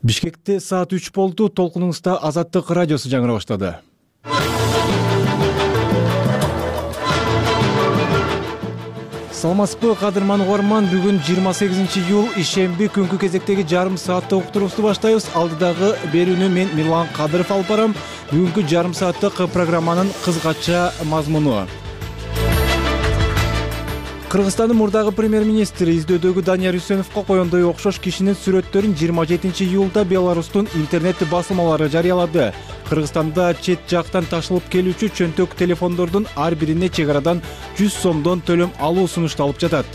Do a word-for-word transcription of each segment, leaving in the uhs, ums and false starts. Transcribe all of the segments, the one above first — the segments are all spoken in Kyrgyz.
Бишкекте саат үч болду. Толкунуңузда Азаттык радиосу жаңыра баштады. Саламатсызбы кадырман угарман, бүгүн жыйырма сегизинчи июл ишемби күнгү кезектеги жарым сааттык уктуруубузду баштайбыз. Алдыдагы берүүнү мен Мирлан Кадыров алып барам. Бүгүнкү жарым сааттык программанын кыскача мазмуну. Кыргызстандын мурдагы премьер-министри издөөдөгү Данияр Үсеновго коёндой окшош кишинин сүрөттөрүн жыйырма жетинчи июлда Беларустун интернет басылмалары жарыялады. Кыргызстанда чет жактан ташылып келүүчү чөнтөк телефондордун ар бирине чек арадан жүз сомдон төлөм алуу сунушталып жатат.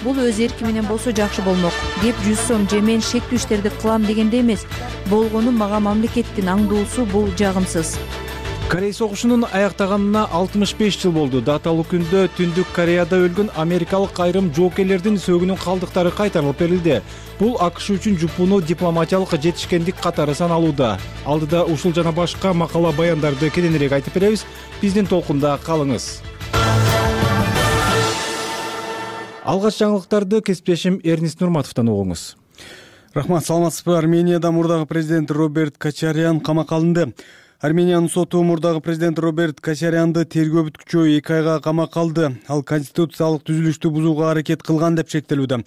Бул өз эрки менен болсо жакшы болмок. Кеп жүз сом же мен шектүү иштерди кылам дегенде эмес. Болгону мага мамлекеттин аңдуусу, бул жагымсыз. Корей согушунун аяктаганына алтымыш беш жыл болду. Даталуу күндө Түндүк Кореяда өлгөн америкалык айрым жоокерлердин сөөгүнүн калдыктары кайтарылып берилди. Бул АКШ үчүн жупунуу дипломатиялык жетишкендик катары саналууда. Алдыда ушул жана башка макала баяндарды кененирээк айтып беребиз. Биздин толкунда калыңыз. Алгач жаңылыктарды кесиптешим Эрнист Нурматовдон угуңуз. Рахмат, саламатсызбы. Арменияда мурдагы президент Роберт Кочарян камакка алынды. Армениянын соту мурдагы президент Роберт Кочарянды тергөө бүткүчү эки айга камакка алды. Ал конституциялык түзүлүштү бузууга аракет кылган деп шектелүүдө.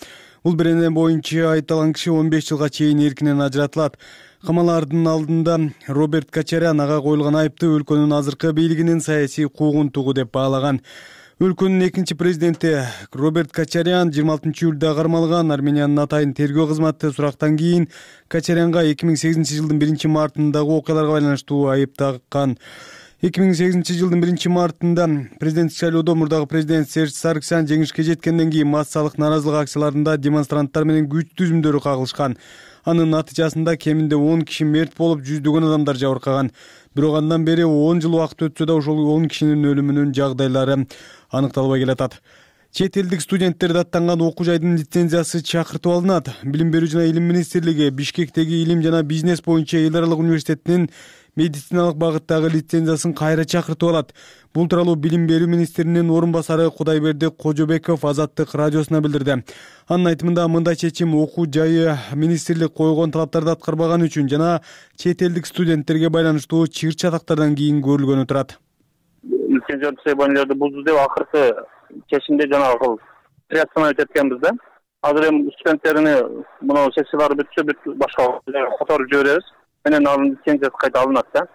Бул берене боюнча айыпталган киши он беш жылга чейин эркинен ажыратылат. Камалардын алдында Роберт Кочарян ага коюлган айыпты өлкөнүн азыркы бийлигинин саясий куугунтугу деп баалаган. Өлкөнүн экинчи президенти Роберт Кочарян жыйырма алтынчы июлда кармалган. Армениянын атайын тергөө кызматы сурактан кийин Кочарянга эки миң сегизинчи жылдын биринчи мартындагы окуяларга байланыштуу айып таккан. эки миң сегизинчи жылдын биринчи мартында президенттик шайлоодо мурдагы президент Серж Саргсян жеңишке жеткенден кийин массалык нааразылык акцияларында демонстранттар менен күч түзүмдөрү кагылышкан. Анын натыйжасында кеминде он киши мерт болуп, жүздөгөн адамдар жабыркаган. Бирок андан бери он жыл убакыт өтсө да ошол он кишинин өлүмүнүн жагдайлары аныкталбай келатат. Чет элдик студенттерди аттанган окуу жайдын лицензиясы чакыртып алынат. Билим берүү жана илим министрлиги Бишкектеги илим жана бизнес боюнча эл аралык университетинин медициналык багыттагы лицензиясын кайра чакыртып алат. Бул тууралуу билим берүү министринин орун басары Кудайберди Кожобеков Азаттык радиосуна билдирди. Анын айтымында мындай чечим окуу жайы министрлик койгон талаптарды аткарбаган үчүн жана чет элдик студенттерге байланыштуу чыр чатактардан кийин көрүлгөнү турат. Лицензия требованияларды бузду деп акыркы чечимде жанагы приостановить эткенбиз да. Азыр эми студенттерини мына сессиялары бүтсө башка которуп жиберебиз. Менен анын лицензиясы кайта алынат да.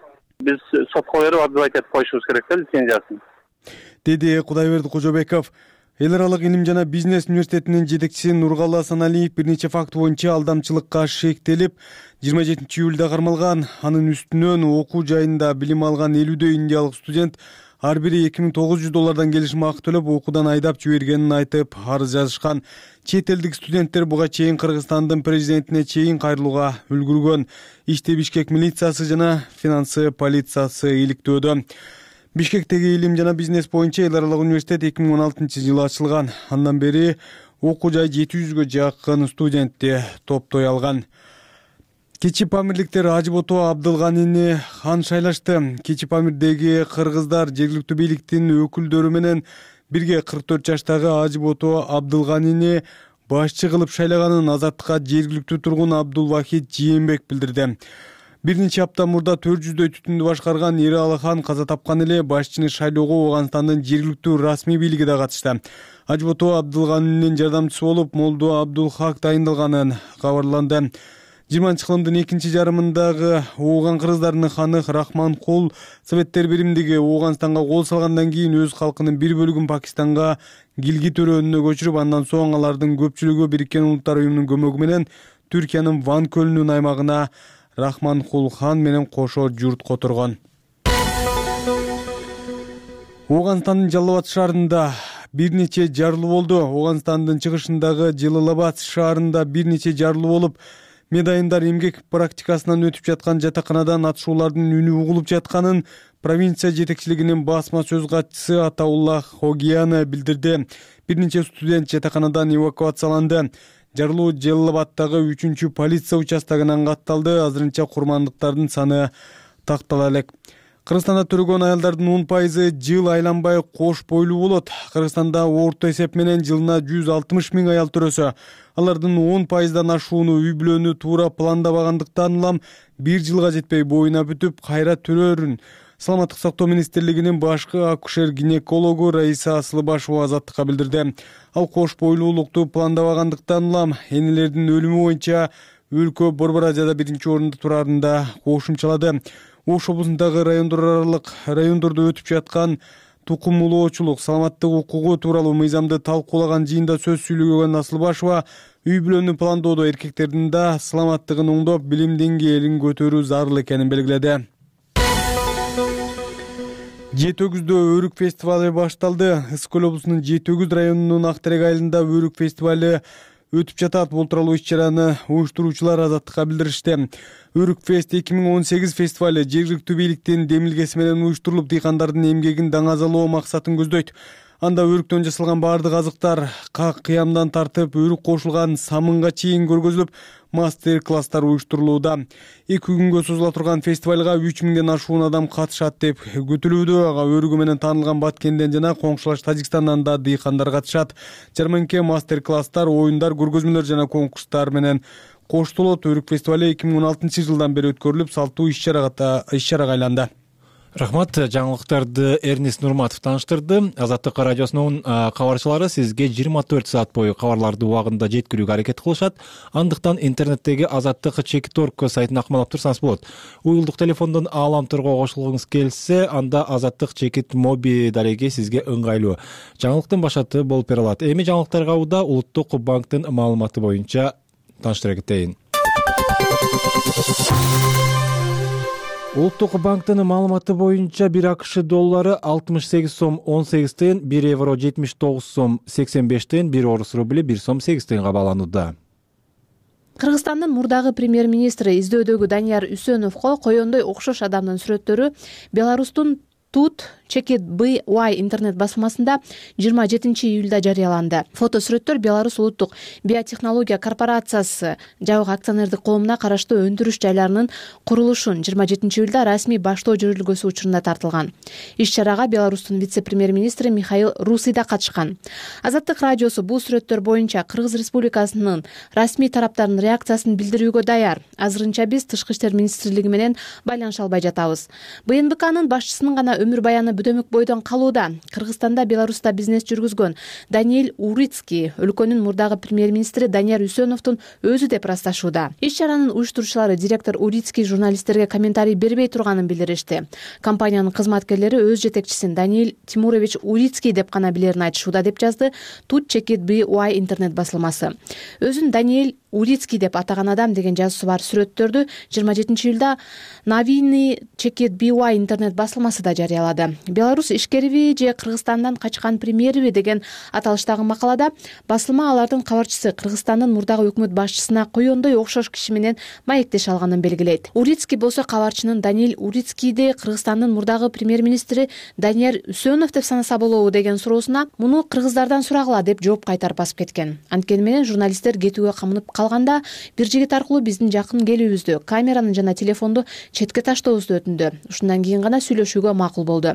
Биз сотко берип адвокат этип коюшубуз керек да лицензиясын. Деди Кудайберди Кожобеков. Эл аралык илим жана бизнес университетинин жетекчиси Нургалы Асаналиев бир нече факт боюнча алдамчылыкка шектелип, жыйырма жетинчи июлда кармалган. Анын үстүнөн окуу жайында билим алган элүүдөй индиялык студент ар бири эки миң тогуз жүз доллардан келишим акы төлөп окуудан айдап жибергенин айтып арыз жазышкан. Чет элдик студенттер буга чейин Кыргызстандын президентине чейин кайрылууга үлгүргөн. Иште Бишкек милициясы жана финансы полициясы иликтөөдө. Бишкектеги илим жана бизнес боюнча эл аралык университет эки миң он алтынчы жылы ачылган. Андан бери окуу жай жети жүзгө жакын студентти топтой алган. Кичи Памирликтер Ажыбото Абдылганини хан шайлашты. Кичи Памирдеги кыргыздар жергиликтүү бийликтин өкүлдөрү менен бирге кырк төрт жаштагы Ажыбото Абдылганини башчы кылып шайлаганын Азаттыкка жергиликтүү тургун Абдулвахид Жийенбек билдирди. Бир нече апта мурда төрт жүздөй түтүндү башкарган Эралы хан каза тапкан эле. Башчыны шайлоого Ооганстандын жергиликтүү расмий бийлиги да катышты. Ажыбото Абдылганинин жардамчысы болуп Молдо Абдулхак дайындалганын кабарланды. жыйырманчы кылымдын экинчи жарымындагы Ооган кыргыздарынын ханы Рахманкул Советтер биримдиги Ооганстанга кол салгандан кийин өз калкынын бир бөлүгүн Пакистанга Гилгит өрөөнүнө көчүрүп, андан соң алардын көпчүлүгү Бириккен Улуттар уюмунун көмөгү менен Түркиянын Ван көлүнүн аймагына Рахманкул хан менен кошо журт которгон. Ооганстандын Жалал Абад шаарында бир нече жарылуу болду. Ооганстандын чыгышындагы Жалал Абад шаарында бир нече жарылуу болуп, медайымдар эмгек практикасынан өтүп жаткан жатаканадан атышуулардын үнү угулуп жатканын провинция жетекчилигинин басма сөз катчысы Атаулла Хогияна билдирди. Бир нече студент жатаканадан эвакуацияланды. Жарылуу Жалал Абадтагы үчүнчү полиция участогунан катталды. Азырынча курмандыктардын саны тактала элек. Кыргызстанда төрөгөн аялдардын он пайызы жыл айланбай кош бойлуу болот. Кыргызстанда орто эсеп менен жылына жүз алтымыш миң аял төрөсө, алардын он пайыздан ашууну үй бүлөнү туура пландабагандыктан улам бир жылга жетпей боюна бүтүп кайра төрөрүн Саламаттык сактоо министрлигинин башкы акушер-гинекологу Раиса Асылбашева Азаттыкка билдирди. Ал кош бойлуулукту пландабагандыктан улам энелердин өлүмү боюнча өлкө Борбора жада биринчи орунда турарын да кошумчалады. Ош облусундагы райондор аралык райондордо өтүп жаткан тукум улоочулук, саламаттык укугу тууралуу мыйзамды талкуулаган жыйында сөз сүйлөгөн Асылбашева үй бүлөнү пландоодо эркектердин да саламаттыгын оңдоп, билим деңгээлин көтөрүү зарыл экенин белгиледи. Жети өгүздө өрүк фестивалы башталды. Ысык көл облусунун Жети өгүз районунун Ак терек айылында өрүк фестивалы өтүп жатат. Бул тууралуу иш-чараны уюштуруучулар Азаттыкка билдиришти. Өрүк фест эки миң он сегиз фестивалы жергиликтүү бийликтин демилгеси менен уюштурулуп, дыйкандардын эмгегин даңазалоо максатын көздөйт. Анда өрүктөн жасалган баардык азыктар, как кыямдан тартып өрүк кошулган самынга чейин көргөзүлүп, мастер-класстар уюштурулууда. Эки күнгө созула турган фестивалга үч миңден ашуун адам катышат деп күтүлүүдө. Ага өрүгү менен таанылган Баткенден жана коңшулаш Тажикстандан да дыйкандар катышат. Жарманке мастер-класстар, оюндар, көргөзмөлөр жана конкурстар менен коштолот. Өрүк фестивалы эки миң он алтынчы жылдан бери өткөрүлүп, салттуу иш-чарага иш-чарага айланды. Рахмат, жаңылыктарды Эрнис Нурматов тааныштырды. Азаттык радиосунун кабарчылары сизге жыйырма төрт саат бою кабарларды убагында жеткирүүгө аракет кылышат. Андыктан интернеттеги Азаттык чекит точка орг сайтына акмалап турсаңыз болот. Уюлдук телефондон ааламторго кошулгуңуз келсе, анда Азаттык чекит моби дареги сизге ыңгайлуу. Жаңылыктын башаты болуп бере алат. Эми жаңылыктарга уда Улуттук банктын маалыматы боюнча тааныштыра кетейин. Улуттук банктын маалыматы боюнча бир АКШ доллары алтымыш сегиз сом он сегиз тыйын, бир евро жетимиш тогуз сом сексен беш тыйын, бир орус рубли бир сом сегиз тыйынга бааланууда. Кыргызстандын мурдагы премьер-министри издөдөгү Данияр Үсөновго коёндой окшош адамдын сүрөттөрү Беларустун Тут Чекит би уай интернет басылмасында жыйырма жетинчи июлда жарыяланды. Фото-сүрөттөр Беларусь улуттук биотехнология корпорациясы жабык акционердик коомуна караштуу өндүрүш жайларынын курулушун жыйырма жетинчи июлда расмий баштоо жүрүлгөсү учурунда тартылган. Иш-чарага Беларустун вице-премьер-министри Михаил Руси да катышкан. Азаттык радиосу бул сүрөттөр боюнча Кыргыз Республикасынын расмий тараптарынын реакциясын билдирүүгө даяр. Азырынча биз Тышкы иштер министрлиги менен байланыша албай жатабыз. бэ эн бэ кнын башчысынын гана өмүр баяны бөдөмөк бойдон калууда. Кыргызстанда, Беларуста бизнес жүргүзгөн Даниэль Урицкий өлкөнүн мурдагы премьер-министри Данияр Үсөновдун өзү деп ырасташууда. Иш-чаранын уюштуруучулары директор Урицкий журналисттерге комментарий бербей турганын билдиришти. Компаниянын кызматкерлери өз жетекчисин Даниэль Тимурович Урицкий деп гана билерин айтышууда, деп жазды Тут Чекит би уай интернет басылмасы. Өзүн Даниэль Урицкий деп атаган адам деген жазуусу бар сүрөттөрдү жыйырма жетинчи июлда Новини Чекит би уай интернет басылмасы да жарыялады. Беларусь ишкериби же Кыргызстандан качкан премьериби деген аталыштагы макалада басылма алардын кабарчысы Кыргызстандын мурдагы өкмөт башчысына коёндой окшош киши менен маектеш алганын белгилейт. Урицкий болсо кабарчынын Даниэль Урицкийди Кыргызстандын мурдагы премьер-министри Данияр Үсөнов деп санаса болобу деген суроосуна муну кыргыздардан сурагыла деп жооп кайтарып басып кеткен. Анткени менен журналисттер кетүүгө камынып калганда бир жигит аркылуу биздин жакын келүүбүздү, камераны жана телефонду четке таштообузду өтүндү. Ушундан кийин гана сүйлөшүүгө макул болду.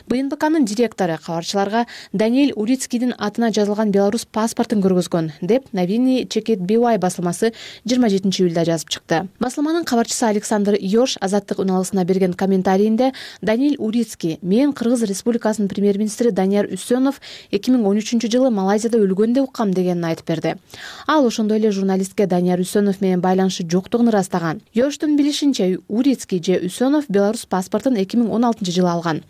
бэ эн бэ кнын директору кабарчыларга Даниэль Урицкийдин атына жазылган Беларусь паспортун көргөзгөн деп Новини Чекит би уай басылмасы жыйырма жетинчи июлда жазып чыкты. Басылманын кабарчысы Александр Йош Азаттык үналысына берген комментарийинде Даниэль Урицкий: "Мен Кыргыз Республикасынын премьер-министри Данияр Үсөнов эки миң он үчүнчү жылы Малайзияда өлгөн деп уккам" дегенин айтып берди. Ал ошондой эле журналистке Данияр Үсөнов менен байланышы жоктугун ырастаган. Йоштун билишинче, Урицкий же Үсөнов Беларусь паспортун эки миң он алтынчы жылы алган.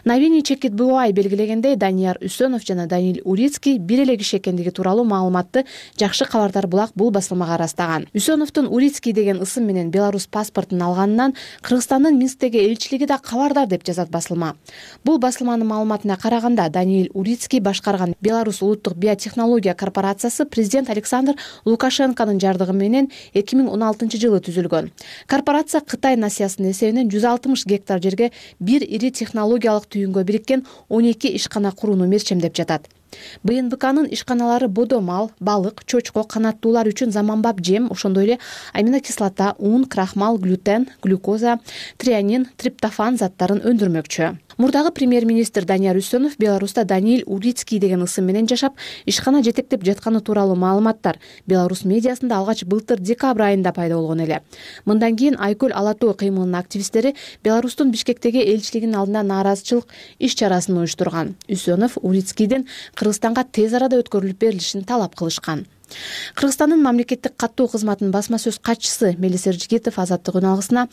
Новини Чекит би уай белгилегендей, Данияр Үсөнов жана Даниэль Урицкий бир эле киши экендиги тууралуу маалыматты Жакшы кабардар булак бул басылмага ырастаган. Үсөновдун Урицкий деген ысым менен Беларусь паспортун алганынан Кыргызстандын Минсктеги элчилиги да кабардар деп жазат басылма. Бул басылманын маалыматына караганда, Даниэль Урицкий башкарган Беларусь улуттук биотехнология корпорациясы президент Александр Лукашенконун жардыгы менен эки миң он алтынчы жылы түзүлгөн. Корпорация Кытай насыясынын эсебинен жүз алтымыш гектар жерге бир ири технологиялык түйүнгө бириккен он эки ишкана курууну мерчемдеп жатат. бэ эн бэ кнын ишканалары бодо мал, балык, чочко, канаттуулар үчүн заманбап жем, ошондой эле аминокислота, ун, крахмал, глютен, глюкоза, трианин, триптофан заттарын өндүрмөкчү. Мурдагы премьер-министр Данияр Үсөнов Беларуста Даниил Урицкий деген ысым менен жашап, ишкана жетектеп жатканы тууралуу маалыматтар Беларусь медиасында алгач былтыр декабрь айында пайда болгон эле. Мындан кийин Айкөл ала тоо кыймылынын активисттери Беларустун Бишкектеги элчилигинин алдында нааразычылык иш чарасын уюштурган. Үсөнов Урицкийден Кыргызстанга тез арада өткөрүлүп берилишин талап кылышкан. Кыргызстандын мамлекеттик каттоо кызматынын басма сөз катчысы Мелис Эржигитов Азаттык үналгысына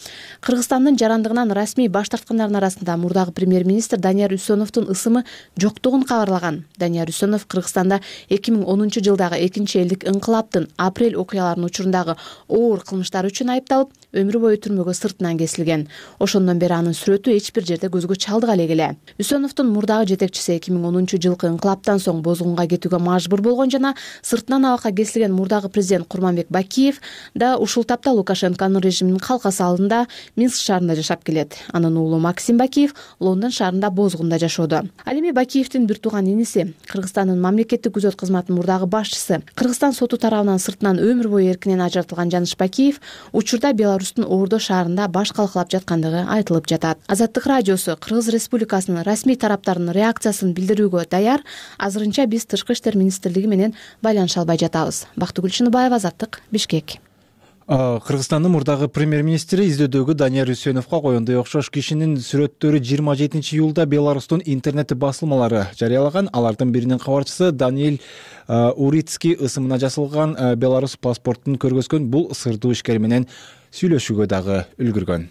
Кыргызстандын жарандыгынан расмий баш тарткандардын арасында мурдагы премьер-министр Данияр Үсөновдун ысымы жоктугун кабарлаган. Данияр Үсөнов Кыргызстанда эки миң онунчу жылдагы экинчи элдик инкылаптын апрель окуяларынын учурундагы оор кылмыштары үчүн айыпталып, өмүр бою түрмөгө сыртынан кесилген. Ошондон бери анын сүрөтү эч бир жерде көзгө чалдыга элек эле. Үсөновдун мурдагы жетекчиси эки миң онунчу жылкы инкылаптан соң бозгунга кетүүгө мажбур болгон жана сыртынан абакка кесилген мурдагы президент Курманбек Бакиев да ушул тапта Лукашенконун режиминин калкасы алдында Минск шаарында жашап келет. Анын уулу Максим Бакиев Лондон шаарында бозгунда жашоодо. Ал эми Бакиевдин бир тууган иниси, Кыргызстандын мамлекеттик күзөт кызматынын мурдагы башчысы, Кыргызстан соту тарабынан сыртынан өмүр бою эркинен ажыратылган Жаныш Бакиев учурда Беларустун Ордо шаарында баш калкалап жаткандыгы айтылып жатат. Азаттык радиосу Кыргыз Республикасынын расмий тараптарынын реакциясын билдирүүгө даяр. Азырынча биз Тышкы иштер министрлиги менен байланыша албай жатабыз. Бактыгүл Чыныбаева, Азаттык, Бишкек. Кыргызстандын мурдагы премьер-министри издөдөгү Данияр Үсөновго коюндай окшош кишинин сүрөттөрү жыйырма жетинчи июлда Беларустун интернет басылмалары жарыялаган. Алардын биринин кабарчысы Даниил Урицкий ысымына жасалган Беларус паспортун көргөзгөн. Бул сырдуу ишкер менен сүйлөшүүгө дагы үлгүргөн.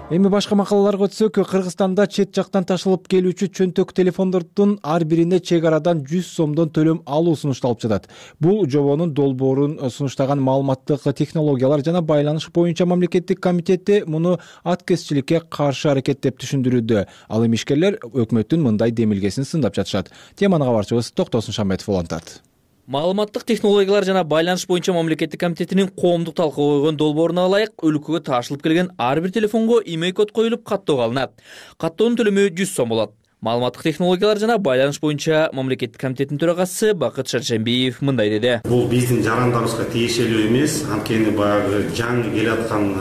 Эми башка макалаларга өтсөк, Кыргызстанда чет жактан ташылып келүүчү чөнтөк телефондордун ар бирине чек арадан жүз сомдон төлөм алуу сунушталып жатат. Бул жобонун долбоорун сунуштаган маалыматтык технологиялар жана байланыш боюнча мамлекеттик комитети муну аткезчиликке каршы аракет деп түшүндүрүүдө. Ал эми ишкерлер өкмөттүн мындай демилгесин сындап жатышат. Теманы кабарчыбыз Токтосун Шамбетов улантат. Маалыматтык технологиялар жана байланыш боюнча мамлекеттик комитетинин коомдук талкууга койгон долбооруна ылайык өлкөгө ташылып келген ар бир телефонго имей код коюлуп каттоого алынат. Каттоонун төлөмү жүз сом болот. Маалыматтык технологиялар жана байланыш боюнча мамлекеттик комитетинин төрагасы Бакыт Шаршембиев мындай деди. Бул биздин жарандарыбызга тиешелүү эмес, анткени баягы жаңы келаткан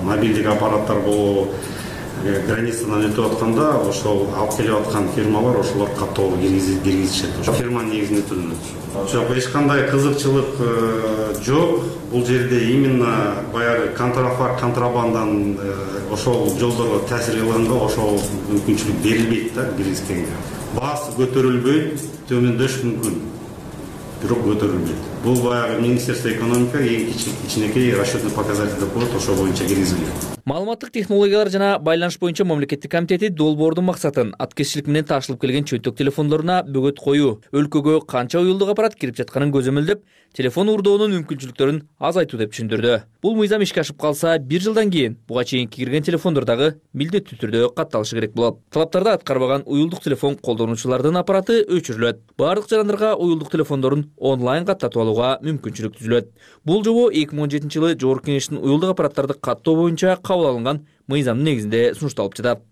мобилдик аппараттар болобу границадан өтүп атканда ошол алып келип аткан фирмалар ошолор каттоого киргизишет. Ошо фирманын негизинде төлөнөт. Жок, эч кандай кызыкчылык жок. Бул жерде именно баягы контрафакт, контрабандан ошол жолдорго таасир кылганда ошол мүмкүнчүлүк берилбейт да киргизгенге. Баасы көтөрүлбөйт, төмөндөш мүмкүн, бирок көтөрүлбөйт. Бул баягы Министерство экономика эң кичинекей расчетный показатель деп коет, ошол боюнча киргизилет. Маалыматтык технологиялар жана байланыш боюнча мамлекеттик комитети долбоордун максатын аткезчилик менен ташылып келген чөнтөк телефондоруна бөгөт коюу, өлкөгө канча уюлдук аппарат кирип жатканын көзөмөлдөп, телефон уурдоонун мүмкүнчүлүктөрүн азайтуу деп түшүндүрдү. Бул мыйзам ишке ашып калса, бир жылдан кийин буга чейинки кирген телефондор дагы милдеттүү түрдө катталышы керек болот. Талаптарды аткарбаган уюлдук телефон колдонуучулардын аппараты өчүрүлөт. Бардык жарандарга уюлдук телефондорун онлайн каттатып алууга мүмкүнчүлүк түзүлөт. Бул жобо эки миң он жетинчи жылы Жогорку Кеңештин уюлдук аппараттарды каттоо боюнча кабыл алынган мыйзамдын негизинде сунушталып жатат.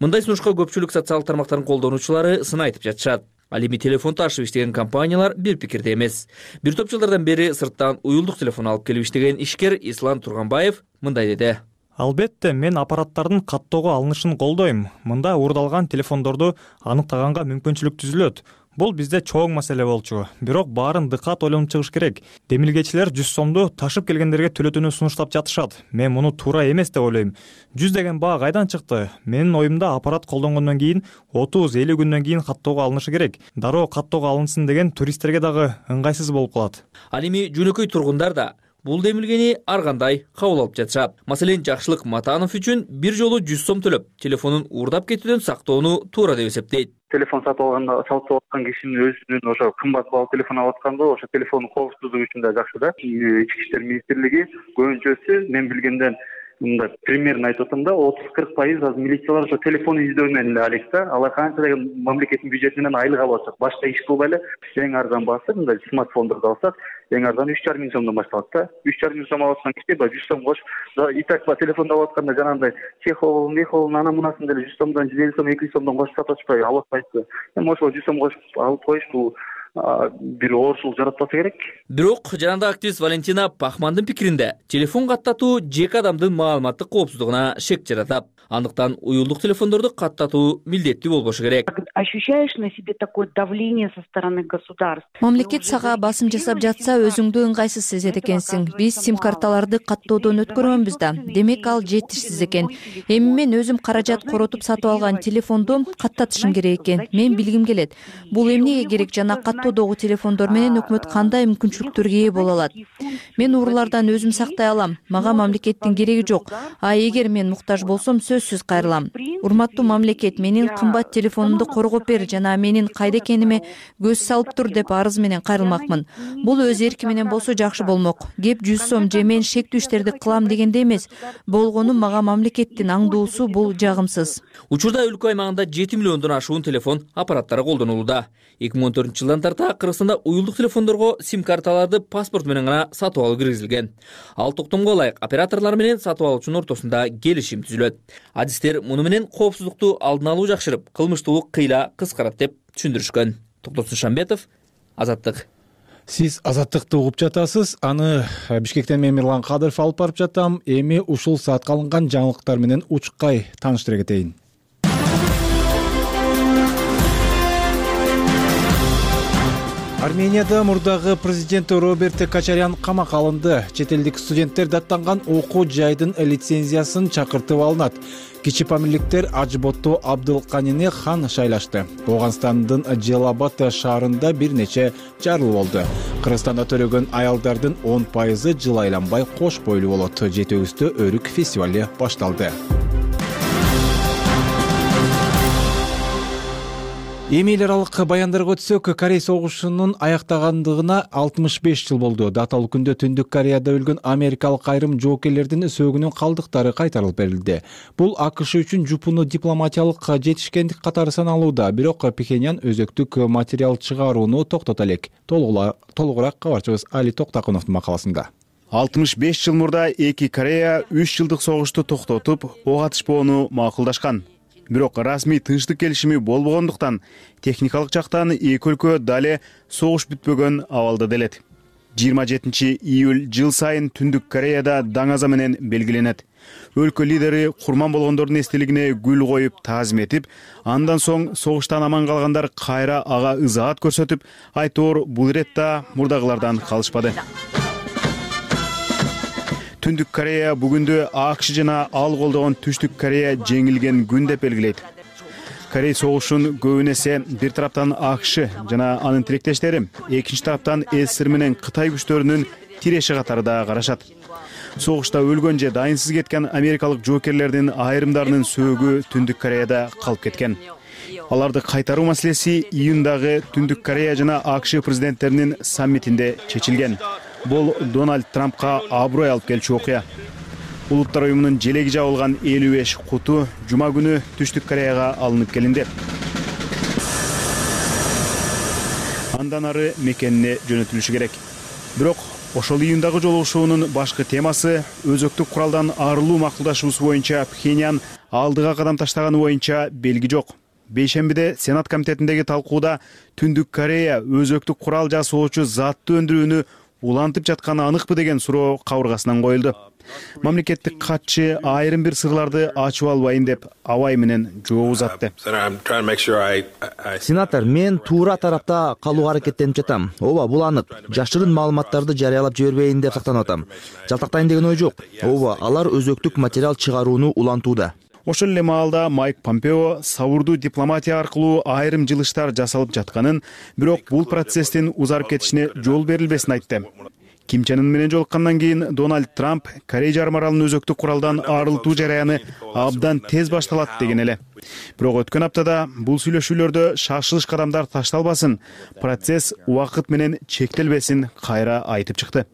Мындай сунушка көпчүлүк социалдык тармактардын колдонуучулары сын айтып жатышат. Ал эми телефон ташып иштеген компаниялар бир пикирде эмес. Бир топ жылдардан бери сырттан уюлдук телефон алып келип иштеген ишкер Ислам Турганбаев мындай деди. Албетте, мен аппараттардын каттоого алынышын колдойм. Мында уурдалган телефондорду аныктаганга мүмкүнчүлүк түзүлөт. Бул бизде чоң маселе болчу. Бирок баарын дыкат ойлонуп чыгыш керек. Демилгечилер жүз сомду ташып келгендерге төлөтүүнү сунуштап жатышат. Мен муну туура эмес деп ойлойм. жүз деген баа кайдан чыкты? Менин оюмда аппарат колдонгондон кийин отуз элүү күндөн кийин каттоого алынышы керек. Дароо каттоого алынсын деген туристтерге дагы ыңгайсыз болуп калат. Ал эми жөнөкөй тургундар да бул демилгени ар кандай кабыл алып жатышат. Маселен, Жакшылык Матанов үчүн бир жолу жүз сом төлөп, телефонун уурдап кетүүдөн сактоону туура деп эсептейт. Телефон сатып алганда сатып аткан кишинин өзүнүн ошо кымбат баалуу телефон алып атканда ошо телефондун коопсуздугу үчүн да жакшы да. Ички иштер министрлиги көбүнчөсү мен билгенден мындай примерно айтып атам да, отуз кырк пайыз азыр милициялар ошо телефон издөө менен эле алек да. Алар канча деген мамлекеттин бюджетинен айлык алып атышат. Башка иш кылбай эле эң арзан баасы мындай смартфондорду алсак, эң арзан үч жарым миң сомдон башталат да. үч жарым миң сом алып аткан киши баягы жүз сом кош, и так ба телефонду алып атканда жанагындай чехол, мехол, ана мунасын деле жүз сомдон, жүз элүү сом, эки жүз сомдон кошуп сатып атышпайбы, алып атпайбы. Эми ошо жүз сом кошуп алып коюш бул бир оорчулук жаратпаса керек. Бирок жанагындай активист Валентина Пахмандын пикиринде телефон каттатуу жеке адамдын маалыматтык коопсуздугуна шек жаратат. Андыктан уюлдук телефондорду каттатуу милдеттүү болбошу керек. Ощущаешь на себе такое давление со стороны государства. Мамлекет сага басым жасап жатса, өзүңдү ыңгайсыз сезет экенсиң. Биз сим-карталарды каттоодон өткөргөнбүз да. Демек ал жетишсиз экен. Эми мен өзүм каражат коротуп сатып алган телефонду каттатышым керек экен. Мен билгим келет. Бул эмнеге керек жана каттоодогу телефондор менен өкмөт кандай мүмкүнчүлүктөргө ээ боло алат? Мен уруулардан өзүм сактай алам. Мага мамлекеттин кереги жок. А эгер мен муктаж болсом, сөзсүз кайрылам. Урматтуу мамлекет, менин кымбат телефонумду коргоп бер жана менин кайда экениме көз салып тур деп арыз менен кайрылмакмын. Бул өз эрки менен болсо жакшы болмок. Кеп жүз сом же мен шектүү иштерди кылам дегенде эмес. Болгону мага мамлекеттин аңдуусу бул жагымсыз. Учурда өлкө аймагында жети миллиондон ашуун телефон аппараттары колдонулууда. эки миң он төртүнчү жылдан тарта Кыргызстанда уюлдук телефондорго сим-карталарды паспорт менен гана сатып алуу киргизилген. Ал токтомго ылайык операторлор менен сатып алуучунун ортосунда келишим түзүлөт. Адистер муну менен коопсуздукту алдын алуу жакшырып, кылмыштуулук кыйла кыскарат деп түшүндүрүшкөн. Токтосун Шамбетов, Азаттык. Сиз Азаттыкты угуп жатасыз. Аны Бишкектен мен Мирлан Кадыров алып барып жатам. Эми ушул саатка алынган жаңылыктар менен учкай тааныштыра кетейин. Арменияда мурдагы президент Роберт Качарян камакка алынды. Чет элдик студенттер даттанган окуу жайдын лицензиясын чакыртып алынат. Кичи памирликтер Ажботто Абдылканини хан шайлашты. Оганстандын Желабад шаарында бир нече жарылуу болду. Кыргызстанда төрөгөн аялдардын он пайызы жыл айланбай кош бойлуу болот. Жети-өгүздө өрүк фестивали башталды. Эми эл аралык баяндарга өтсөк, Корей согушунун аяктагандыгына алтымыш беш жыл болду. Даталуу күндө Түндүк Кореяда өлгөн америкалык айрым жоокерлердин сөөгүнүн калдыктары кайтарылып берилди. Бул АКШ үчүн жупуну дипломатиялык жетишкендик катары саналууда, бирок Пхеньян өзөктүк материал чыгарууну токтото элек. Толугураак кабарчыбыз Али Токтакуновдун макаласында. алтымыш беш жыл мурда эки Корея үч жылдык согушту токтотуп, ок атышпоону макулдашкан. Бирок расмий тынчтык келишими болбогондуктан техникалык жактан эки өлкө дале согуш бүтпөгөн абалда делет. жыйырма жетинчи июль жыл сайын Түндүк Кореяда даңаза менен белгиленет. Өлкө лидери курман болгондордун эстелигине гүл коюп таазим этип, андан соң согуштан аман калгандар кайра ага ызаат көрсөтүп, айтоор бул иретта мурдагылардан калышпады. Түндүк Корея бүгүндө АКШ жана ал колдогон Түштүк Корея жеңилген күн деп белгилейт. Корей согушун көбүн эсе бир тараптан АКШ жана анын тилектештери, экинчи тараптан СССР менен Кытай күчтөрүнүн тиреши катары да карашат. Согушта өлгөн же дайынсыз кеткен америкалык жоокерлердин айрымдарынын сөөгү Түндүк Кореяда калып кеткен. Аларды кайтаруу маселеси июндагы Түндүк Корея жана АКШ президенттеринин саммитинде чечилген. Бул Дональд Трампка аброй алып келчү окуя. Улуттар уюмунун желеги жабылган элүү беш куту жума күнү Түштүк Кореяга алынып келинди. Андан ары мекенине жөнөтүлүшү керек. Бирок ошол июндагы жолугушуунун башкы темасы өзөктүк куралдан арылуу макулдашуусу боюнча Пхеньян алдыга кадам таштаганы боюнча белги жок. Бейшембиде Сенат комитетиндеги талкууда Түндүк Корея өзөктүк курал жасоочу затты өндүрүүнү улантып жатканы аныкпы деген суроо кабыргасынан коюлду. Мамлекеттик катчы айрым бир сырларды ачып албайын деп абай менен жооп узатты. Сенатор, мен туура тарапта калууга аракеттенип жатам. Ооба, бул анык. Жашырын маалыматтарды жарыялап жибербейин деп сактанып атам. Жалтактайын деген ой жок. Ооба, алар өзөктүк материал чыгарууну улантууда. Ошол эле маалда Майк Помпео сабурдуу дипломатия аркылуу айрым жылыштар жасалып жатканын, бирок бул процесстин узарып кетишине жол берилбесин айтты. Ким Чен Ын менен жолуккандан кийин Дональд Трамп Корей жарым аралын өзөктүк куралдан арылтуу жараяны абдан тез башталат деген эле. Бирок өткөн аптада бул сүйлөшүүлөрдө шашылыш кадамдар ташталбасын, процесс убакыт менен чектелбесин кайра айтып чыкты.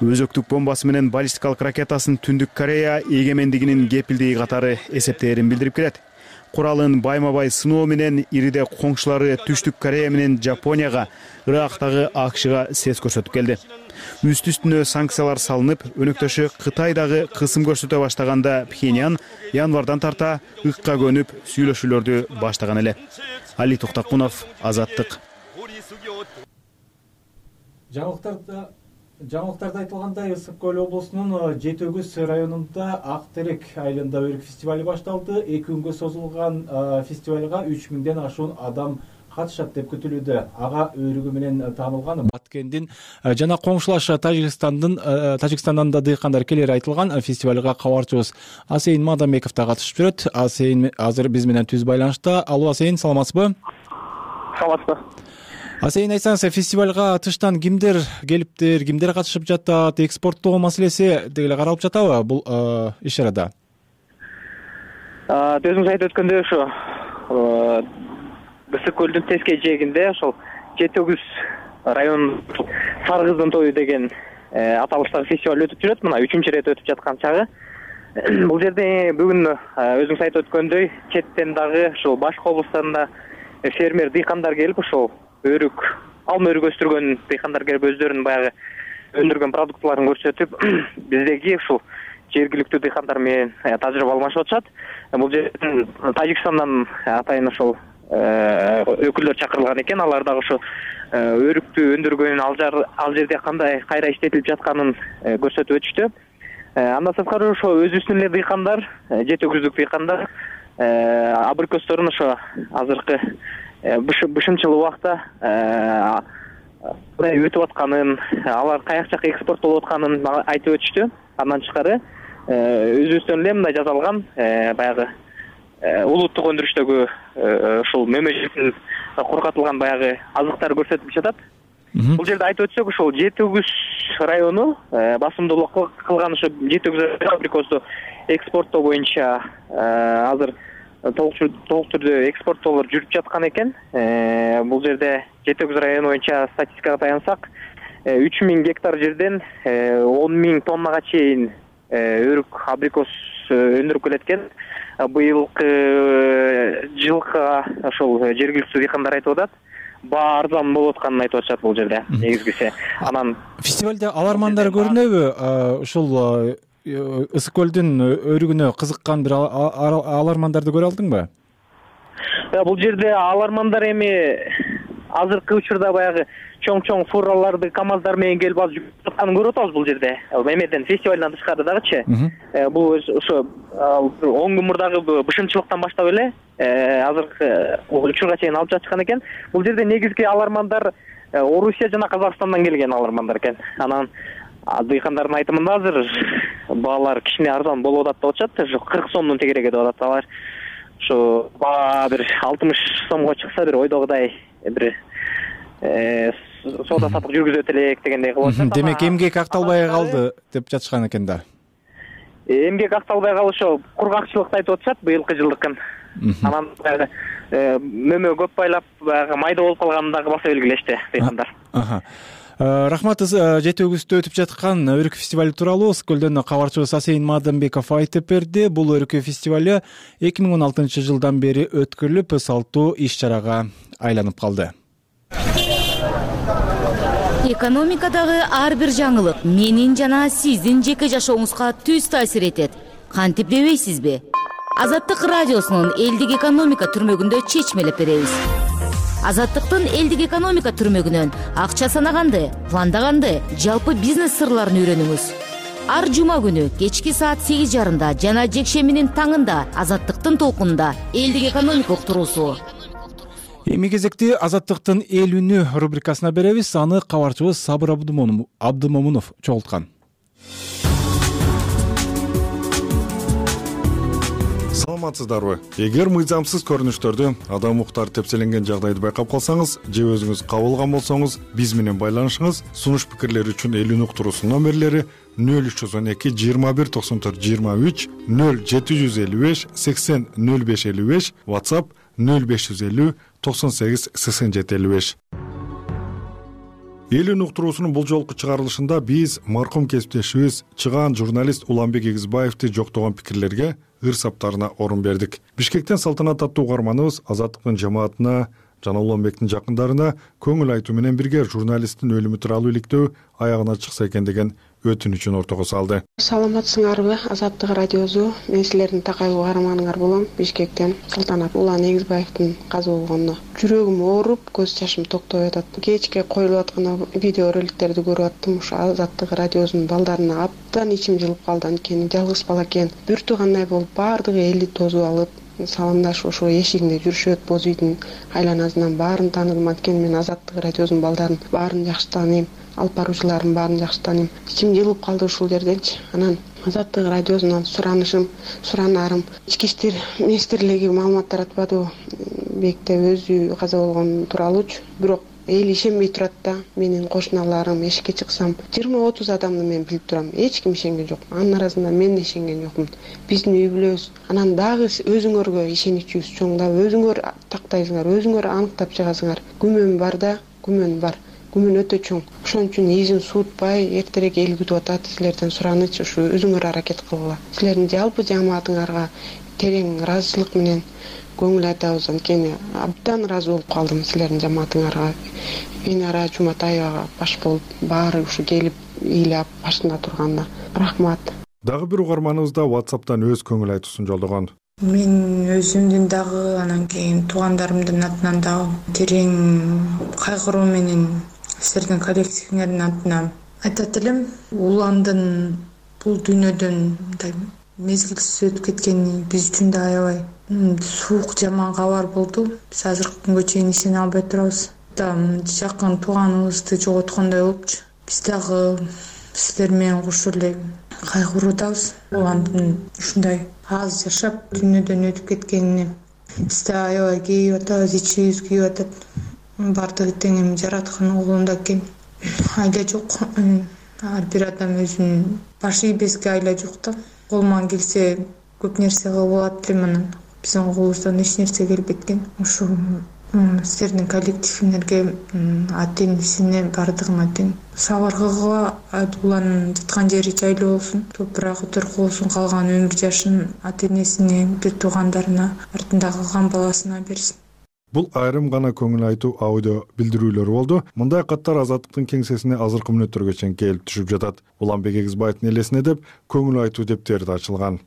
өзөктүк бомбасы менен баллистикалык ракетасын Түндүк Корея эгемендигинин кепилдиги катары эсептээрин билдирип келет. Куралын байма-бай сыноо менен ириде коңшулары Түштүк Корея менен Жапонияга, Ирактагы АКШга сес көрсөтүп келди. Үстү-үстүнө санкциялар салынып, өнөктөшү Кытай дагы кысым көрсөтө баштаганда Пхеньян январдан тарта ыкка көнүп сүйлөшүүлөрдү баштаган эле. Али Токтакунов, Азаттык. Жаңылыктарда Жаңылыктарда айтылгандай, Ысык көл облусунун Жети Өгүз районунда Ак Терек айылында өрүк фестивали башталды. Эки күнгө созулган фестивалга үч миңден ашуун адам катышат деп күтүлүүдө. Ага өрүгү менен таанылган Баткендин жана коңшулаш Тажикстандын Тажикстандан да дыйкандар келери айтылган фестивалга кабарчыбыз Асейин Мадамбеков да катышып жүрөт. Асейин азыр биз менен түз байланышта. Алуу, Асейин, саламатсызбы? Саламатсызбы. Асейин, айтсаңыз, фестивалга тыштан кимдер келиптир, кимдер катышып жатат, экспорттоо маселеси деле каралып жатабы бул иш-чарада? Өзүңүз айтып өткөндөй, ошо Ысык көлдүн тескей жээгинде ошол Жети Өгүз районунун Сары кыздын тою деген аталыштагы фестиваль өтүп жүрөт. Мына үчүнчү ирет өтүп жаткан чагы. Бул жерде бүгүн өзүңүз айтып өткөндөй, четтен дагы ушул башка облустарында фермер дыйкандар келип, ошол өрүк, алма өрүк өстүргөн дыйкандар келип өздөрүнүн баягы өндүргөн продуктларын көрсөтүп, биздеги ушул жергиликтүү дыйкандар менен тажрыйба алмашып атышат. Бул жерден Тажикстандан атайын ошол өкүлдөр чакырылган экен. Алар дагы ошо өрүктү өндүргөн, ал жерде кандай кайра иштетилип жатканын көрсөтүп өтүштү. Андан сырткары ошо өзүбүздүн эле дыйкандар, Жети Өгүздүк дыйкандар абрикосторун ошо азыркы бышымчыл убакта кандай өтүп атканын, алар каяк жака экспорттолуп атканын айтып өтүштү. Андан тышкары өзүбүздөн эле мындай жасалган баягы улуттук өндүрүштөгү ушул мөмөжөктүн кургатылган баягы азыктар көрсөтүлүп жатат. Бул жерде айтып өтсөк, ошол Жети Өгүз району басымдуулук кылган ошо Жети Өгүз абрикосту экспорттоо боюнча азыр толук түрдө экспорттоолор жүрүп жаткан экен. Бул жерде Жети Өгүз району боюнча статистикага таянсак, үч миң гектар жерден он миң тоннага чейин өрүк, абрикос өндүрүп келет экен. Быйылкы жылга ошол жергиликтүү дыйкандар айтып атат, баа арзан болуп атканын айтып атышат бул жерде негизгиси. Анан фестивалда алармандар көрүнөбү? Ушул Ысык көлдүн өрүгүнө кызыккан бир алармандарды көрө алдыңбы? Бул жерде алармандар эми азыркы учурда баягы чоң-чоң фураларды КАМАЗдар менен келип алып жүрүп атканын көрүп атабыз бул жерде. Эмеден фестивалдан тышкары дагычы. Бул ошо он күн мурдагы бышымчылыктан баштап эле азыркы учурга чейин алып жатышкан экен. Бул жерде негизги алармандар Орусия жана Казакстандан келген алармандар экен. Анан дыйкандардын айтымында азыр баалар кичине арзан болуп атат деп атышат. Ошо кырк сомдун тегереги деп атат. Алар ошо баа бир алтымыш сомго чыкса, бир ойдогудай бир соода саттык жүргүзөт элек дегендей кылып атышат. Демек эмгек акталбай калды деп жатышкан экен да. Эмгек акталбай калышы кургакчылыкты айтып атышат быйылкы жылдыкын. Анан баягы мөмө көп байлап баягы майда болуп калганын дагы баса белгилешти дыйкандар. Рахмат. Жети Өгүздө өтүп жаткан өрүк фестивали тууралуу Ысык көлдөн кабарчыбыз Асейин Мадамбеков айтып берди. Бул өрүк фестивали эки миң он алтынчы жылдан бери өткөрүлүп, салттуу иш-чарага айланып калды. Экономикадагы ар бир жаңылык менин жана сиздин жеке жашооңузга түз таасир этет. Кантип дебейсизби? Азаттык радиосунун элдик экономика түрмөгүндө чечмелеп беребиз. Азаттыктын элдик экономика түрмөгүнөн акча санаганды, пландаганды, жалпы бизнес сырларын үйрөнүңүз. Ар жума күнү кечки саат сегиз жарымда жана жекшембинин таңында Азаттыктын толкунунда элдик экономика уктуруусу. Эми кезекти Азаттыктын эл үнү рубрикасына беребиз. Аны кабарчыбыз Сабыр Абдымомунов чогулткан. Саламатсыздарбы? Эгер мыйзамсыз көрүнүштөрдү, адам укуктары тепселенген жагдайды байкап калсаңыз же өзүңүз кабылган болсоңуз, биз менен байланышыңыз. Сунуш пикирлери үчүн эл үнү уктуруусунун номерлери нөл үч жүз он эки жыйырма бир токсон төрт жыйырма үч, нөл жети жүз элүү беш сексен нөл беш элүү беш, WhatsApp нөл беш жүз элүү токсон сегиз сексен жети элүү беш. Элүүн уктуруусунун бул жолку чыгарылышында биз маркум кесиптешибиз чыгаан журналист Уланбек Эгизбаевди жоктогон пикирлерге ыр саптарына орун бердик. Бишкектен салтанат аттуу угарманыбыз Азаттыктын жамаатына жана Уланбектин жакындарына көңүл айтуу менен бирге журналисттин өлүмү тууралуу иликтөө аягына чыкса экен деген өтүнүчүн ортого салды. Саламатсыңарбы, Азаттык радиосу. Мен силердин такай угарманыңар болом. Бишкектен Салтанат Улан Эгизбаевдин каза болгонуна жүрөгүм ооруп, көз жашым токтобой атат. Кечке коюлуп аткан видео роликтерди көрүп аттым. Ушу Азаттык радиосунун балдарына абдан ичим жылып калды. Анткени жалгыз бала экен. Бир туугандай болуп баардыгы элди тосуп алып, саламдашып ошо эшигинде жүрүшөт. Боз үйдүн айланасынан баарын тааныдым. Анткени мен Азаттык радиосунун балдарын баарын жакшы тааныйм. Алып баруучуларын баарын жакшы тааныйм. Ичим жылып калды ушул жерденчи. Анан Азаттык радиосунан суранышым, суранарым. Ички иштер министрлиги маалымат таратпады бекте өзү каза болгон тууралуучу. Бирок эл ишенбей турат да. Менин кошуналарым эшикке чыксам жыйырма отуз адамды мен билип турам. Эч ким ишенген жок. Анын арасында мен да ишенген жокмун. Биздин үй бүлөбүз. Анан дагы өзүңөргө ишеничибиз чоң да. Өзүңөр тактайсыңар, өзүңөр аныктап чыгасыңар. Күмөн бар да, күмөн бар. Күмөн өтө чоң. Ошон үчүн изин суутпай, эртерээк эл күтүп атат. Силерден сураныч ушу өзүңөр аракет кылгыла. Силердин жалпы жамаатыңарга терең ыраазычылык менен көңүл айтабыз. Анткени абдан ыраазы болуп калдым силердин жамаатыңарга. Венера Жуматаева баш болуп, баары ушу келип ыйлап башында турганда. Рахмат. Дагы бир угарманыбыз да WhatsApp'тан өз көңүл айтуусун жолдогон. Мен өзүмдүн дагы анан кийин туугандарымдын атынан дагы терең кайгыруу менен силердин коллективиңердин атынан айтат элем. Уландын бул дүйнөдөн мындай мезгилсиз өтүп кеткени биз үчүн да аябай суук жаман кабар болду. Биз азыркы күнгө чейин ишене албай турабыз. Жакын тууганыбызды жоготкондой болупчу. Биз дагы силер менен кошо эле кайгыруудабыз. Уландын ушундай аз жашап дүйнөдөн өтүп кеткенине биз да аябай кейип атабыз, ичибиз күйүп атат. Бардыгы тең эми жараткан колунда экен. Айла жок. Ар бир адам өзүнүн башы ийбеске айла жок да. Колуман келсе көп нерсе кылып алат элем, анан биздин колубуздан эч нерсе келбейт экен. Ушу силердин коллективиңерге, ата энесине бардыгына тең сабыр кылгыла. Уланын жаткан жери жайлуу болсун, топурагы төркү болсун, калган өмүр жашын ата энесине, бир туугандарына, артында калган баласына берсин. Бул айрым гана көңүл айтуу аудио билдирүүлөр болду. Мындай каттар Азаттыктын кеңсесине азыркы мүнөттөргө чейин келип түшүп жатат. Уланбек Эгизбаевдин элесине деп көңүл айтуу дептери да ачылган.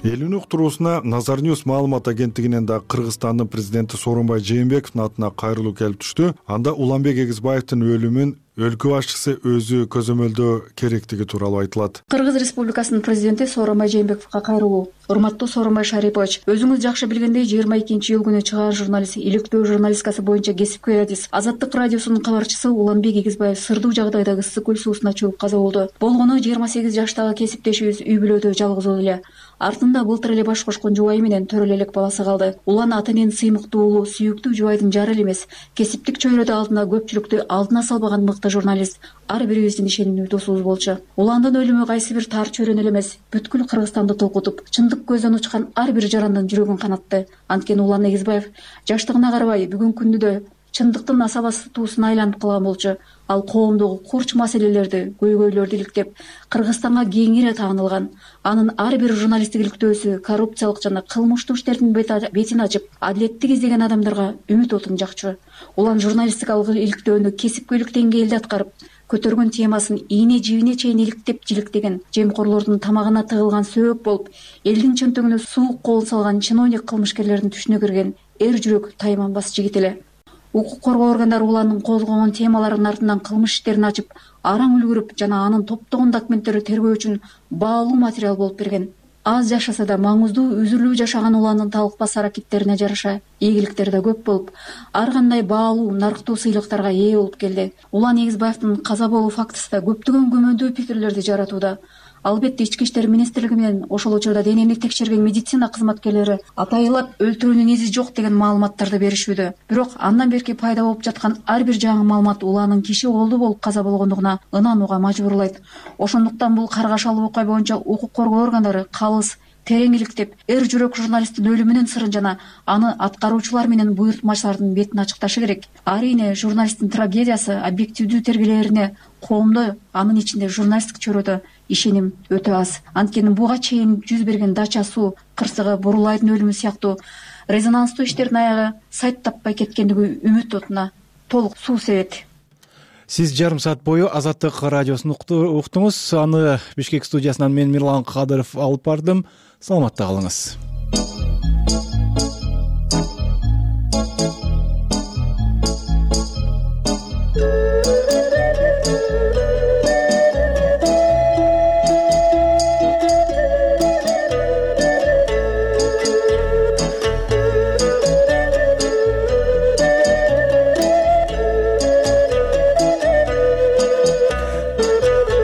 Элүүн уктуруусуна Назар Ньюс маалымат агенттигинен да Кыргызстандын президенти Сооронбай Жээнбековдун атына кайрылуу келип түштү. Анда Уланбек Эгизбаевдин өлүмүн өлкө башчысы өзү көзөмөлдөө керектиги тууралуу айтылат. Кыргыз Республикасынын президенти Сооронбай Жээнбековго кайрылуу. Урматтуу Сооронбай Шарипович, өзүңүз жакшы билгендей жыйырма экинчи июль күнү чыгаан журналист, иликтөө журналистикасы боюнча кесипкөй адис, Азаттык радиосунун кабарчысы Уланбек Эгизбаев сырдуу жагдайда ысык көл суусуна чөгүп каза болду. Болгону жыйырма сегиз жаштагы кесиптешибиз үй бүлөдө жалгыз эле. Артында былтыр эле баш кошкон жубайы менен төрөлө элек баласы калды. Улан ата эненин сыймыктуу уулу, сүйүктүү жубайдын жары эле эмес, кесиптик чөйрөдө алдына көпчүлүктү алдына салбаган мыкты журналист, ар бирибиздин ишенимдүү досубуз болчу. Уландын өлүмү кайсы бир тар чөйрөнү эле эмес, бүткүл Кыргызстанды толкутуп, чындык көздөн учкан ар бир жарандын жүрөгүн канатты. Анткени Улан Эгизбаев жаштыгына карабай бүгүнкү күндө да чындыктын асабасы туусуна айланып калган болчу. Ал коомдогу курч маселелерди, көйгөйлөрдү иликтеп, Кыргызстанга кеңири таанылган. Анын ар бир журналисттик иликтөөсү коррупциялык жана кылмыштуу иштердин бетин ачып, адилеттик издеген адамдарга үмүт отун жакчу. Улан журналистикалык иликтөөнү кесипкөйлүк деңгээлде аткарып, көтөргөн темасын ийне жибине чейин иликтеп жиликтеген, жемкорлордун тамагына тыгылган сөөк болуп, элдин чөнтөгүнө суук колун салган чиновник кылмышкерлердин түшүнө кирген эр жүрөк тайманбас жигит эле. Укук коргоо органдары Уландын козгогон темаларынын артынан кылмыш иштерин ачып, араң үлгүрүп жана анын топтогон документтери тергөө үчүн баалуу материал болуп берген. Аз жашаса да маңыздуу, үзүрлүү жашаган Уландын талыкпас аракеттерине жараша ийгиликтери да көп болуп, ар кандай баалуу, нарктуу сыйлыктарга ээ болуп келди. Улан Эгизбаевдин каза болуу фактысы да көптөгөн күмөндүү пикирлерди жаратууда. Албетте ички иштер министрлиги менен ошол учурда денени текшерген медицина кызматкерлери атайылап өлтүрүүнүн изи жок деген маалыматтарды беришүүдө. Бирок андан берки пайда болуп жаткан ар бир жаңы маалымат Уланын киши колду болуп каза болгондугуна ынанууга мажбурлайт. Ошондуктан бул каргашалуу окуя боюнча укук коргоо органдары калыс, терең иликтеп, эр жүрөк журналисттин өлүмүнүн сырын жана аны аткаруучулар менен буйртмачылардын бетин ачыкташы керек. Арийне журналисттин трагедиясы объективдүү тергелерине коомдо, анын ичинде журналисттик чөйрөдө ишеним өтө аз. Анткени буга чейин жүз берген Дача суу кырсыгы, Бурулайдын өлүмү сыяктуу резонанстуу иштердин аягы сайт таппай кеткендиги үмүт отуна толук суу себет. Сиз жарым саат бою Азаттык радиосун уктуңуз. Аны Бишкек студиясынан мен Мирлан Кадыров алып бардым. Саламатта калыңыз.